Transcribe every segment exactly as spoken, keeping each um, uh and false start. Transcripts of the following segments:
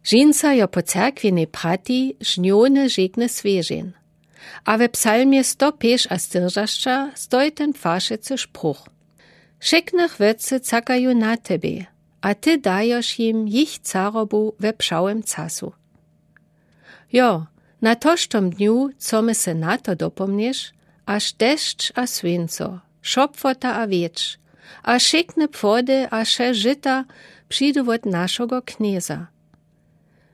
Žinca jo po cerkwinej prati žnjowne žekne swěžeń. A we psalmje sto pěš a styrdźesat stoji ten płašecy spruch: Wšekne chwěcy cakaju na tebje, a ty dajoš jim jich carobu we pśałym casu. Jo, na tożtym dnju chcemy se na to dopomnieć, a dešć a słónco, szopłota a wietrz, a wšekne płody a wše žita přidu wot našogo Knjeza.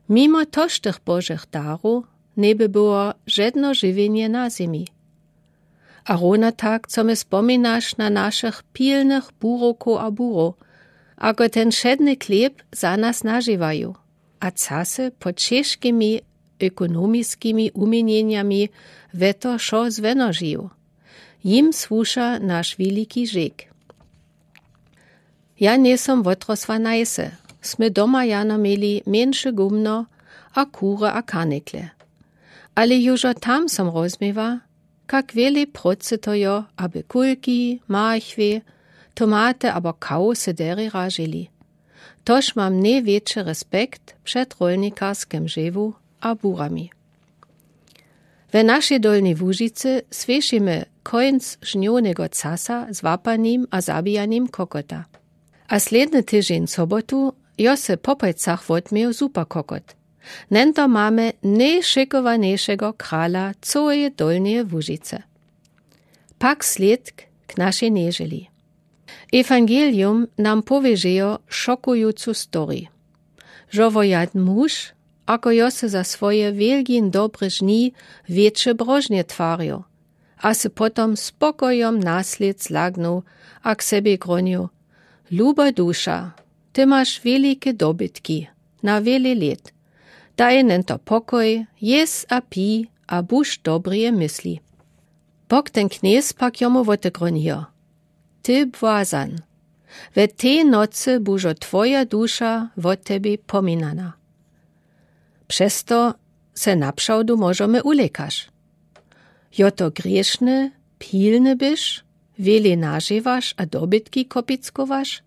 Mimo tożtych Božych darow njeby było žedno žiwjenje na zemi. A rowno tak, co my spominaš na našich pilnych burowkow a burow, ako ten wšedny chlěb za nas nažiwaju, a casy pod ćežkimi ekonomiskimi uměnjenjami we to wšo zwenožiju. Jim słuša naš wieliki žek. Ja njejsom wotrosła na wsy, smy doma jano měli mjeńsze gumno a kury a karnikle. Ale južo tam som rozmiła, kak wjele procy to jo, aby kulki, marchwie, tomaty abo kawusy deri ražili. Tož mam nojwjetši respekt před rolnikarskim žewu a burami. We našej Dolnjej Łužicy słěšimy kóńc žnjownjego casa z łapanim a zabijanim kokota. A slědny tyžeń sobotu jo se po pajcach wotměł superkokot. Njeto mamy nojšokowanjejšego krala cołeje Dolnjeje Łužicy. Pak slědk k našej nježeli. Ewangelium nam powědźejo šokującu story. Žo wo jadn muž, ako jo se za swoje wielgin dobre žni wjetše brožnje twarjo, a se potom spokojom naslěd zlagnu a k sebje gronił: Luba duša, ty maš wielike dobytki na wiele lět. Daj njeto pokoj, jez a pij a buź dobrje mysli. Bóg ten Knjez pak jomu wotedgronijo: Ty błazan, we tej nocy bužo twoja duša wot tebje pominana. Přez to se naprawdu możemy ulekaš. Jo to grěšne, pilny byś, wiele nažewaš a dobytki kopickowaš?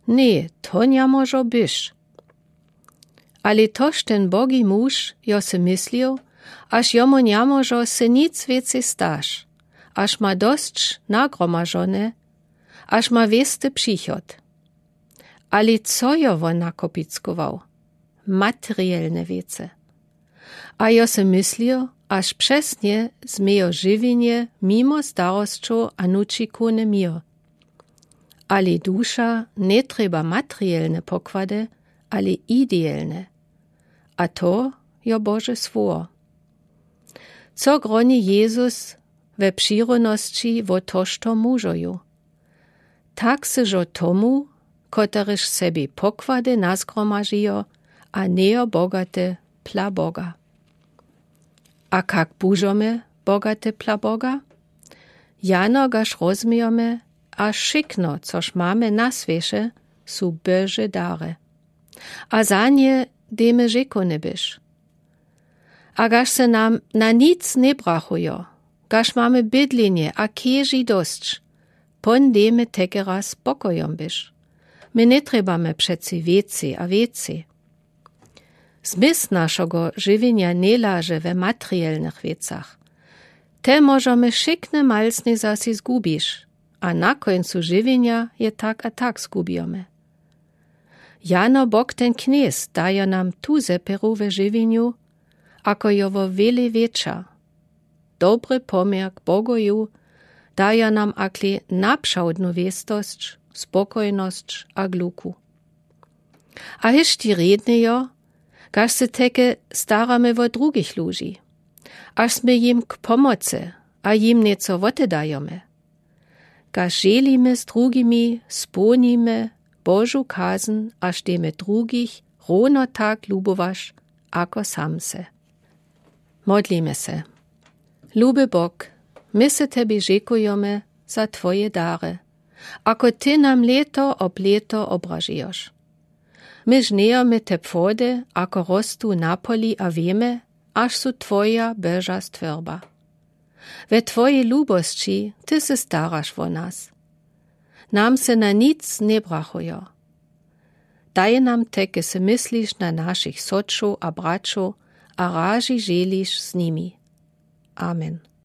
Ně, to njamóžo byś. Ale toż ten bogi muž jo se myslił, až jomu njamóžo se nic wěcej staś, až ma dosć nagromažone, až ma wěsty přichod. Ale co jo wón nakopickował? Materielne wěcy. A jo se myslił, až přesnje změjo žiwjenje mimo starosćow a nućikowny měr. Ale duša njetrjeba materielne pokłady, ale ideelne. A to jo Bože słowo. Co groni Jezus we přironosći wo tožto mužoju? Tak se žo tomu, koterež sebi pokłady nazgromažijo a njejo bogate pla Boga. A kak bužome bogate pla Boga? Jano gaž rozmijome, a wšykno, což mamy na swěše, su Bože dary. A za nje dejmy rzekowny byś. A gaž se nam na nic njebrachujo, gaž mamy bydlenje a keži dosć, pón dejmy tekeraz spokojom byś. My njetrjebamy přeci wěcej a wěcej. Zmysł našogo žiwjenja njelaže we materielnych wěcach. Te możome wšykne malsne zasi zgubiš, a na kóńcu žiwjenja je tak a tak zgubijome. Jano Bóg ten Knjez dajo nam tu zepěru we žiwjenju, ako jo wo wjele wětša. Dobry pomjer k Bogoju dajo nam akle napřawdnu wěstosć, spokojnosć a gluku. A hyšći rjednejo, gaž se teke staramy wo drugich ludźi, až smy jim k pomocy a jim něco wotedajome. Gaž želimy z drugimi, spólnimy Božu kazn, až dejmy drugich rowno tak lubowaš, ako sam se. Modlimy se. Luby Bóg, my se tebi rzekujome za twoje dary, ako ty nam lěto ob lěto obražijoš. My žnjejome te płody, ako rostu na poli, a wěme, až su twoja Boža stwórba. We twojej lubosći ty se staraš wo nas. Nam se na nic njebrachujo. Daj nam te, ke se mysliš na naszich soczow a bratczow a razi żeliš z nimi. Amen.